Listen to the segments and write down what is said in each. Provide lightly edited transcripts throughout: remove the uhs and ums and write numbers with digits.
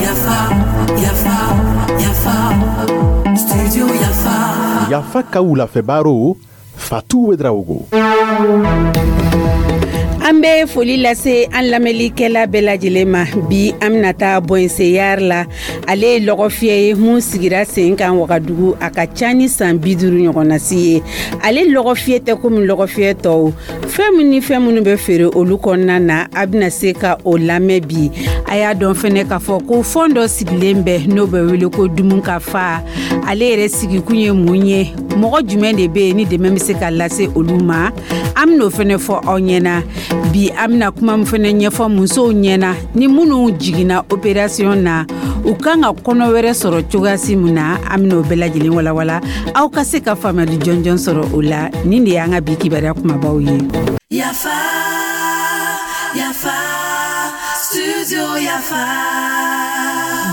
Yafa, yafa, yafa, studio Yafa. Yafa ka wulafɛ Fatou Ouédraogo. An bɛ foli lase an lamɛnlikɛla bɛɛ lajɛlen ma. Bi, an bɛna taa Bɔnseyari la. Ale ye lɔgɔfiyɛ ye mun sigira sen kan Wagadugu, a ka ca ni san 50 ɲɔgɔnnasi ye. Ale lɔgɔfiyɛ tɛ komi lɔgɔfiyɛ tɔw. Fɛn min ni fɛn minnu bɛ feere olu kɔnɔna na, a bɛna se ka o lamɛn bi. A y'a dɔn fɛnɛ k'a fɔ ko fɔn dɔ sigilen bɛ, n'o bɛ wele ko dumun ka fa. Ale yɛrɛ sigikun ye mun ye? Mɔgɔ jumɛn de bɛ yen ni dɛmɛ bɛ se ka lase olu ma? An bɛn'o fɛnɛ fɔ aw ɲɛna bi. An bɛna kuma min fɛnɛ ɲɛfɔ musow ɲɛna, ni minnu jiginna opération na, u kan ka kɔnɔ wɛrɛ sɔrɔ cogoyasi min na, an bɛn'o bɛɛ lajɛlen walawala, aw ka se ka faamuyali jɔnjɔn sɔrɔ o la. Nin de y'an ka bi kibaruya kumabaw ye. Yafa, yafa, studio Yafa.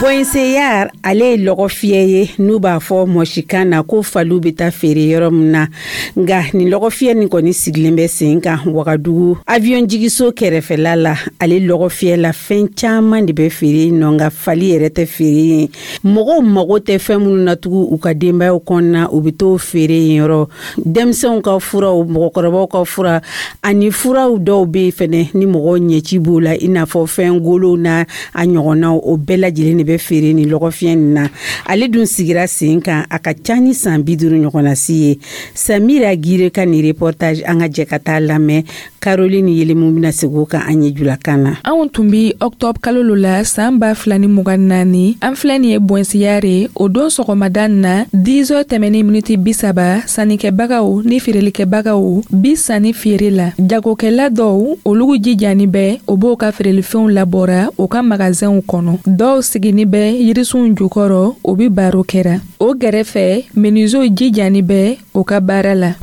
Bɔnseyar, ale ye lɔgɔfiyɛ ye, n'u b'a fɔ mɔsikan na ko faliw bɛ taa feere yɔrɔ min na. Nka nin lɔgɔfiyɛ nin kɔni sigilen bɛ sen kan Wagadugu avion jigiso kɛrɛfɛla la. Ale lɔgɔfiyɛ la, fɛn caman de bɛ feere yen nɔ, nka fali yɛrɛ tɛ feere yen. Mɔgɔw mago tɛ fɛn minnu na tugun u ka denbayaw kɔnɔna, u bɛ t'o feere yen yɔrɔ. Denmisɛnw ka furaw, mɔgɔkɔrɔbaw ka fura ani furaw dɔw bɛ yen fɛnɛ ni mɔgɔw ɲɛci b'o la, i n'a fɔ fɛn golow n'a a ɲɔgɔnnaw, o bɛɛ lajɛlen de bɛ feere ni lɔgɔfiyɛ nin na. Ale dun sigira sen kan, a ka ca ni san 50 ɲɔgɔnnasi ye. Samira Gire ka nin reportage, an ka jɛ ka taa lamɛn. Caroline Yelemu bɛna segin o kan an ye julakan na. Anw tun bi octobre kalo lo la saan 2024. An filɛ nin ye Bɔnsiyare. O don sɔgɔmada na, 10 heures tɛmɛni miniti 30, sannikɛbagaw ni feerelikɛbagaw bi sanni feere la. Jagokɛla dɔw, olugu jijani bɛ, o b'o ka feerelifɛnw labɔra o ka magazɛnw kɔnɔ. Dɔw sigini bɛ yirisunw jukɔrɔ, o bi baro kɛra. O gɛrɛfɛ, menuisiers jijani bɛ o ka baara la.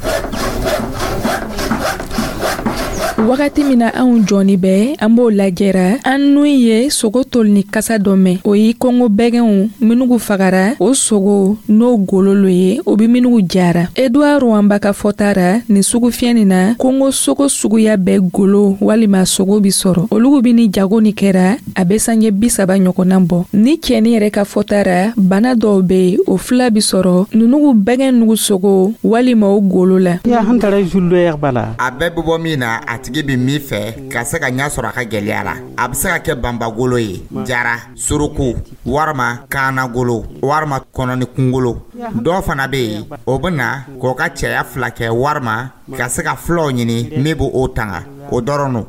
Wagati min na anw jɔni bɛ, an b'o lajɛra, an nun ye sogo tolini kasa dɔ mɛn. O ye kongo bɛgɛnw minugu fagara, o sogo n'o golo lo ye, o be minugu jara. Edouard Rwamba ka fɔta ra, nin sugufiyɛ nin na, kongo sogo suguya bɛɛ golo walima sogo bi sɔrɔ. Olugu bi ni jago ni kɛra, a be sanjɛ 30 ɲɔgɔnna bɔ. Ni cɛni yɛrɛ ka fɔta ra, bana dɔw be o fila bi sɔrɔ nunugu bɛgɛn nugu sogo walima o golo la. A bɛɛ bɛ bɔ min na, a tigi bɛ min fɛ ka se ka ɲɛ sɔrɔ a ka gɛlɛya la. A bɛ se ka kɛ banbagolo ye, jara, suruku walima kaanagolo walima kɔnɔni kunkolo. Dɔw fana bɛ yen, o bɛ na k'o ka cɛya fila kɛ walima ka se ka fulaw ɲini min b'o o tanga, o dɔrɔn don.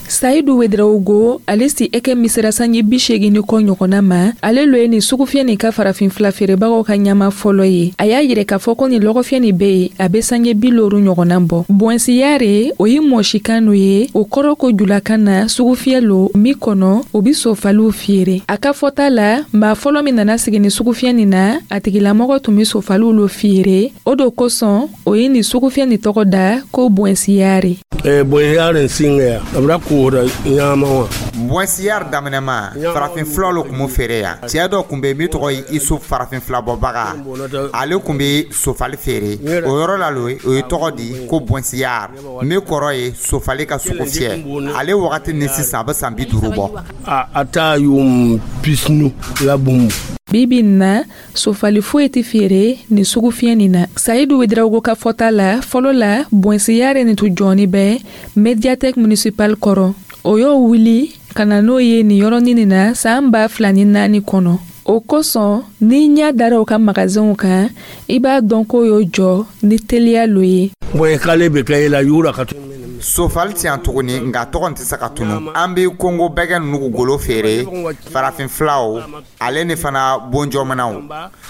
Sayidu Wedrawugo, ale si ɛkɛ misira sanji 80 ni kɔ ɲɔgɔnna ma. Ale lo ye nin sugufiyɛ nin ka farafin fila feerebagaw ka ɲama fɔlɔ ye. A y'a yirɛ k'a fɔ ko nin lɔgɔfiyɛ nin be yen, a be sanjɛ 50 ɲɔgɔnna bɔ. Bɔnsiyare, o ye mɔsikan no ye, o kɔrɔ ko julakan na sugufiyɛ lo min kɔnɔ o bi sofaliw feere. A ka fɔta la, maa fɔlɔ min nana sigi ni sugufiyɛ nin na, a tigilamɔgɔ tun be sofaliw lo feere. O do kosɔn o ye nin sugufiyɛ nin tɔgɔ da ko Bɔnsiyare. Bɔnsiyari daminɛma, farafin fulaw lo tun b'o feere yan. Cɛɛ dɔ tun bɛ min tɔgɔ ye Isu, farafin filabɔbaga. Ale tun bɛ sofali feere o yɔrɔ la lo. O ye tɔgɔ di ko Bɔnsiyari, min kɔrɔ ye sofali ka sugu fiyɛ. Ale wagati ni sisan, a bɛ san 50 bɔ. A taa yuum pisinu la bumbu. Bibi na, sofali foyi tɛ feere nin sugufiyɛ nin na. Sayidu Wedrawugo ka fɔta la, fɔlɔ la, Bɔnsiyare nin tun jɔni bɛ médiathèque municipale kɔrɔ. O y'o wuli ka na n'o ye nin yɔrɔnin nin na saan 2004 kɔnɔ. O kosɔn, n'i ɲɛ dara o ka magazɛnw kan, i b'a dɔn k'o y'o jɔ ni teliya lo ye. K'ale bɛ kɛ i la yura ka Sofali ti yan tuguni, nka tɔgɔ tɛ se ka tunu. An bɛ kongo bɛgɛ nugu golo feere, farafin filaw, ale ni fana bonjɔmanaw.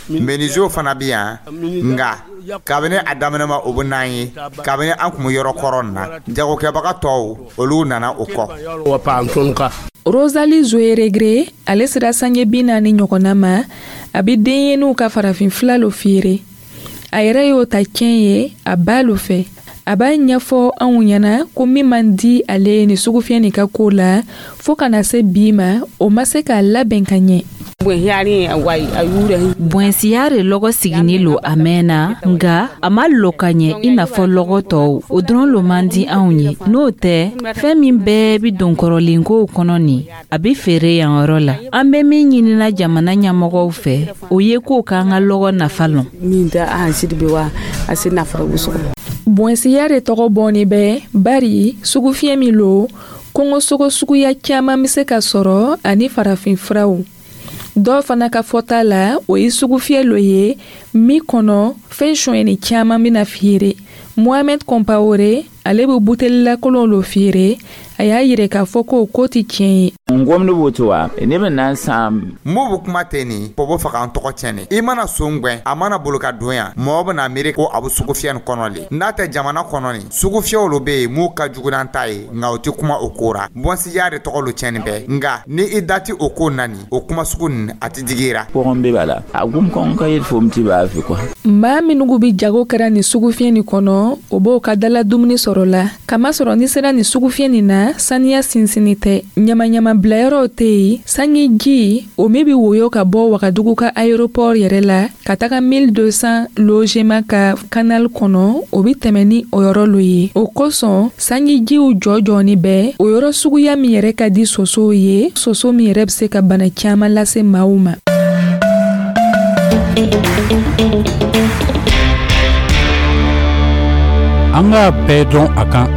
Menuisiers fana bɛ yan, nka kabini a daminɛma, o bɛ n'an ye kabini an tun bɛ yɔrɔ kɔrɔ na. Jagokɛbaga tɔw, olu nana o kɔ. Rosalie Zoeregre, ale sera sanjɛ 40 ɲɔgɔnna ma. A bɛ denɲɛninw ka farafin fila lo feere. A yɛrɛ y'o ta tiɲɛ ye a ba lo fɛ. A b'a ɲɛfɔ anw ɲɛna ko min man di ale ye nin sugufiyɛ nin ka ko la, fo ka na se bi ma, o ma se k'a labɛn ka ɲɛ. Bɔnsiyare lɔgɔ siginin lo a mɛnna, nka a ma lɔ ka ɲɛ i n'a fɔ lɔgɔ tɔw. O dɔrɔn lo man di anw ye. N'o tɛ, fɛn min bɛɛ bi don kɔrɔlenkow kɔnɔ nin, a bɛ feere yan yɔrɔ la. An bɛ min ɲinina jamana ɲɛmɔgɔw fɛ, o ye k'o k'an ka lɔgɔ nafa lɔn. Bɔnsiyare tɔgɔ bɔnni bɛ bari sugufiyɛ min lo, kungosogo suguya caman bɛ se ka sɔrɔ ani farafinfuraw. Dɔw fana ka fɔta la, o ye sugufiyɛ lo ye min kɔnɔ fɛn sonyɛni caman bɛna feere. Mohamed Compaoré, ale bɛ butelilakolon lo feere. A y'a yira k'a fɔ ko ko tɛ tiɲɛ ye. M'o bɛ kuma ten nin pɔbɔ faga an tɔgɔ tiɲɛ. I mana son gwɛn, a mana bolo ka don yan, mɔgɔ bɛna miiri ko a bɛ sugufiyɛ nin kɔnɔ le. N'a tɛ jamana kɔnɔ nin, sugufiyɛw lo bɛ yen m'u ka jugu n'an ta ye, nka o tɛ kuma o ko ra. Bɔnsiya de tɔgɔ lo tiɲɛni bɛ, nka ni i da tɛ o ko na nin, o kuma sugu nin a tɛ digi i ra. Maa minnu bɛ jago kɛra nin sugufiyɛ nin kɔnɔ, o b'o ka dala dumuni sɔrɔ la. Kamasɔrɔ ni sera nin sugufiyɛ nin na, saniya sinsinni tɛ. Ɲamaɲama bilayɔrɔw tɛ yen. Sanji ji o min bɛ woyo ka bɔ Wagadugu ka aéroport yɛrɛ la ka taga 1200 logement ka canal kɔnɔ, o bɛ tɛmɛ ni o yɔrɔ lo ye. O kosɔn sanjijiw jɔ-jɔni bɛ o yɔrɔ suguya min yɛrɛ ka di sosow ye, soso min yɛrɛ bɛ se ka bana caman lase maaw ma. An k'a bɛɛ dɔn a kan.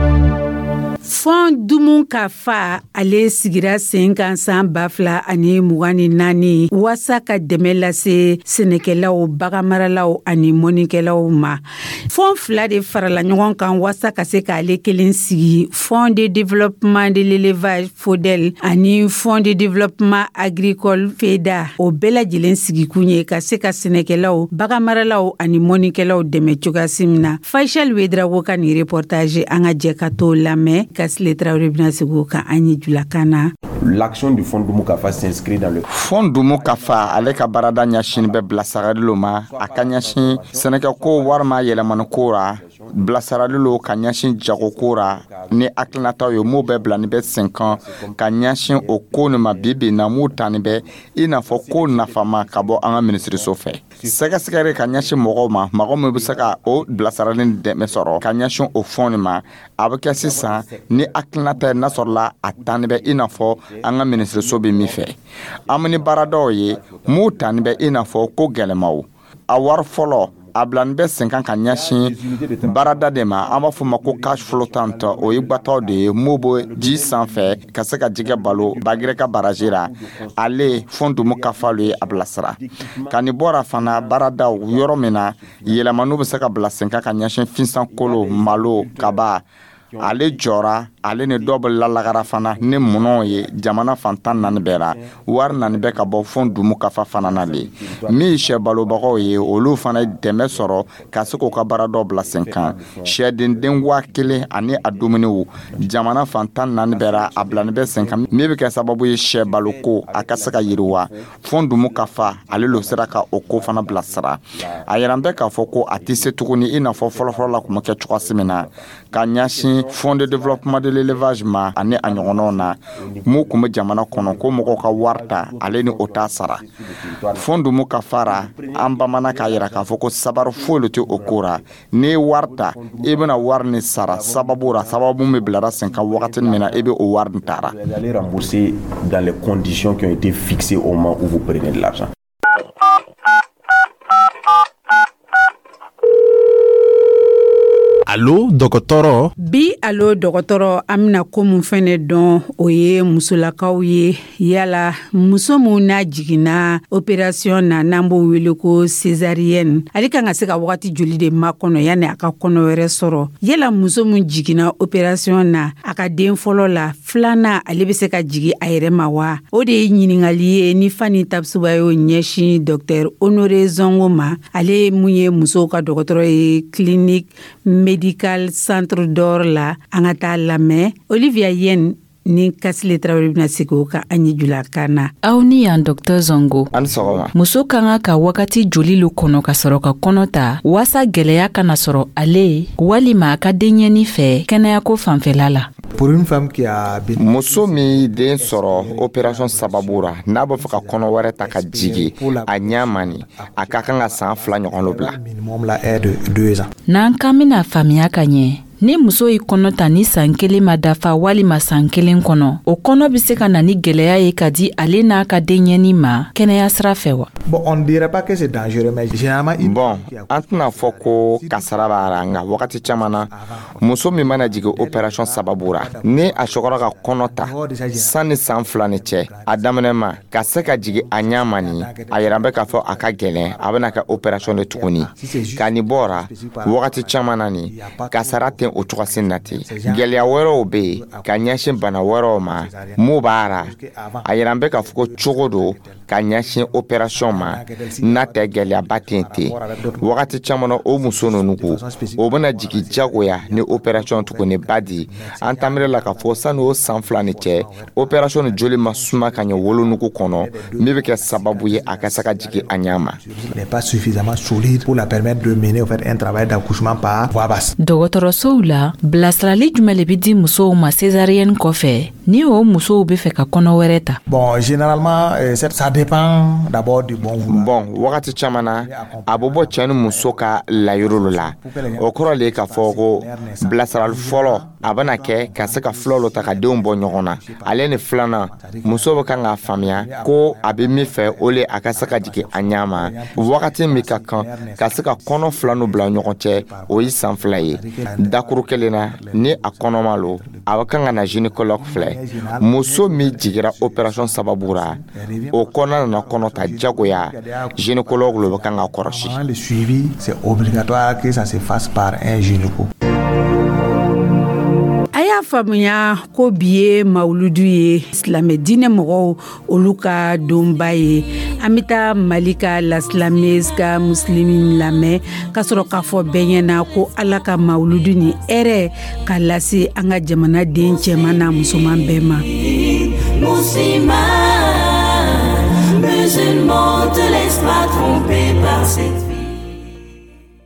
Fond Dumu ka fa, ale sigira sen kan san 2024 waasa ka dɛmɛ lase sɛnɛkɛlaw, baganmaralaw ani mɔnikɛlaw ma. Fond fila de farala ɲɔgɔn kan waasa ka se k'ale kelen sigi: Fond de développement de l'élevage FODEL ani Fond de développement agricole FEDA. O bɛɛ lajɛlen sigikun ye ka se ka sɛnɛkɛlaw, baganmaralaw ani mɔnikɛlaw dɛmɛ cogoyasi min na. Faisal Ouedraogo ka nin reportage, an ka jɛ ka t'o lamɛn. Kasile Traoré bɛna segin o kan an ye julakan na. L'action du Fonds Dunmukafa s'inscrit dans le Fonds Dunmukafa, ale ka baarada ɲɛsin bɛ bilasirali lo ma. A ka ɲɛsin sɛnɛkɛko walima yɛlɛmaniko ra, bilasirali lo ka ɲɛsin jagoko ra ni hakilinataw ye m'o bɛɛ bila ni bɛ sen kan ka ɲɛsin o ko nin ma. Bi bi na, m'u tani bɛ i n'a fɔ ko nafama ka bɔ an ka minisiriso fɛ, sɛgɛsɛgɛri ka ɲɛsin mɔgɔw ma, mɔgɔ min bɛ se ka o bilasirali dɛmɛ sɔrɔ ka ɲɛsin o fɔn nin ma. A bɛ kɛ sisan ni hakilinata ye n'a sɔrɔla a tani bɛ i n'a fɔ an ka minisiriso bɛ min fɛ. An bɛ ni baaradaw ye m'u tani bɛ i n'a fɔ ko gɛlɛmaw. A wari fɔlɔ, a bilani bɛ sen kan ka ɲɛsin baarada de ma, an b'a fɔ ma ko cage flottante. O ye gbataw de ye m'o bɛ ji sanfɛ ka se ka jɛgɛ balo Bagirɛ ka baraji la. Ale Fonds Dunmukafa lo ye a bilasira ka nin bɔra fana baaradaw yɔrɔ min na yɛlɛmaniw bɛ se ka bila sen kan ka ɲɛsin finsankolo, malo, kaba. Ale jɔra, ale ni dɔw bɛ lalagara fana ni minɛnw ye jamana fantan naani bɛɛ la. Wari nani bɛ ka bɔ Fonds Dunmukafa fana na le. Min ye sɛ balobagaw ye, olu fana ye dɛmɛ sɔrɔ ka se k'u ka baara dɔw bila sen kan. Sɛden 1000 ani a dumuniw, jamana fantan naani bɛɛ la, a bilani bɛ sen kan, min bɛ kɛ sababu ye sɛ baloko a ka se ka yiriwa. Fonds Dunmukafa, ale lo sera ka o ko fana bilasira. A yɛrɛ bɛ k'a fɔ ko a tɛ se tuguni i n'a fɔ fɔlɔfɔlɔ la tun bɛ kɛ cogoya min na ka ɲɛsin Fonds de développement de l'élevage ma ani a ɲɔgɔnnaw na mun tun bɛ jamana kɔnɔ, ko mɔgɔw ka wari ta, ale ni o t'a sara. Fonds Dunmukafa ra, an bamanan k'a yira k'a fɔ ko sabari foyi le tɛ o ko ra. N'i ye wari ta, i bɛna wari ni sara sababu ra, sababu min bilara sen kan wagati min na i bɛ o wari nin tara. Vous allez rembourser dans les conditions qui ont été fixées au moment où vous prenez de l'argent. Alo dɔgɔtɔrɔ. Bi alo dɔgɔtɔrɔ, an bɛna ko mun fɛnɛ dɔn, o ye musolakaw ye. Yala muso mun n'a jiginna opération na, n'an b'o wele ko césarienne, ale kan ka se ka wagati joli de makɔnɔ yanni a ka kɔnɔ wɛrɛ sɔrɔ? Yala muso mun jiginna opération na a ka den fɔlɔ la, filanan ale bɛ se ka jigi a yɛrɛ ma wa? O de ye ɲininkali ye ni Fani Tapisuba y'o ɲɛsin docteur Honoré Zongo ma, ale mun ye musow ka dɔgɔtɔrɔ ye clinique médical Centre d'Or la. An ka taa lamɛn. Olivia Yen ni Kasile Tarawele bɛna segin o kan an ye julakan na. Aw ni yan, Dr Zongo. Ani sɔgɔma. Muso ka kan ka wagati joli lo kɔnɔ ka sɔrɔ ka kɔnɔ ta waasa gwɛlɛya kana sɔrɔ ale walima a ka denɲɛni fɛ kɛnɛyako fanfɛla la? Pour une femme qui a Muso min den sɔrɔ opération sababu ra, n'a b'a fɛ ka kɔnɔ wɛrɛ ta ka jigi a ɲɛ ma nin, a ka kan ka san 2 ɲɔgɔn lo bila. Minimum la est de 2 ans. N'an kan bɛna faamuya ka ɲɛ, ni muso y'i kɔnɔ ta ni san 1 ma dafa walima san 1 kɔnɔ, o kɔnɔ bɛ se ka na ni gwɛlɛya ye ka di ale n'a ka denɲɛni ma kɛnɛya sira fɛ wa? Bon, on ne dirait pas que c'est dangereux, mais généralement, une Bon, an tɛna fɔ ko kasara b'a la, nka wagati caman na, muso min mana jigin opération sababu ra, ni a sɔgɔra ka kɔnɔ ta sanni san 2 ni cɛ a daminɛ ma ka se ka jigin a ɲɛ ma nin, a yɛrɛ bɛ k'a fɔ a ka gɛlɛn, a bɛna kɛ opération de tuguni. Ka nin bɔra, wagati caman na nin, kasara tɛ o cogosi na ten. Gwɛlɛya wɛrɛw bɛ yen ka ɲɛsin bana wɛrɛw ma mun b'a ra, a yɛrɛ bɛ k'a fɔ ko cogo do ka ɲɛsin opération ma, n'a tɛ gwɛlɛyaba tɛ ten. Wagati caman na, o muso ninnu ko o bɛna jigin jagoya ni opération tuguni ba di. An tamire la k'a fɔ sani o san 2 ni cɛ, opération ni joli ma suma ka ɲɛ wolonugu kɔnɔ, min bɛ kɛ sababu ye a ka se ka jigin a ɲɛ ma. N'est pas suffisamment solide pour la permettre de mener, au fait, un travail d'accouchement par voie basse. Dɔgɔtɔrɔsow la, bilasirali jumɛn le bɛ di musow ma césarienne kɔfɛ, ni o musow bɛ fɛ ka kɔnɔ wɛrɛ ta? Bon, généralement, ça dépend d'abord du bon vouloir. Bon, wagati caman na, a bɛ bɔ cɛ ni muso ka layiro la. O kɔrɔ le ye k'a fɔ ko bilasirali fɔlɔ a bɛna kɛ ka se ka filaw ta ka denw bɔ ɲɔgɔn na. Ale ni filanan, muso bɛ kan k'a faamuya ko a bɛ min fɛ, o le a ka se ka jigin a ɲɛ ma. Wagati min ka kan ka se ka kɔnɔ fila n'u bila ɲɔgɔn cɛ, o ye san 2 ye. Dakuru kelen na, ni a kɔnɔma lo, a bɛ kan ka na gynécologue filɛ. Muso min jigira opération sababu ra, o kɔnɔ nana kɔnɔ ta jagoya, gynécologue lo bɛ kan ka kɔrɔsi. Le suivi, c'est obligatoire que ça se fasse par un gynéco. A y'a faamuya ko bi ye mawuludu ye, silamɛ diinɛ mɔgɔw olu ka donba ye. An bɛ taa Mali ka La Slameuse ka musilimi lamɛn ka sɔrɔ k'a fɔ bɛɛ ɲɛna ko Ala ka mawuludu ni hɛrɛ ka lase an ka jamana den cɛman n'a musoman bɛɛ ma. Musulman, musulman, te laisse pas tromper par cette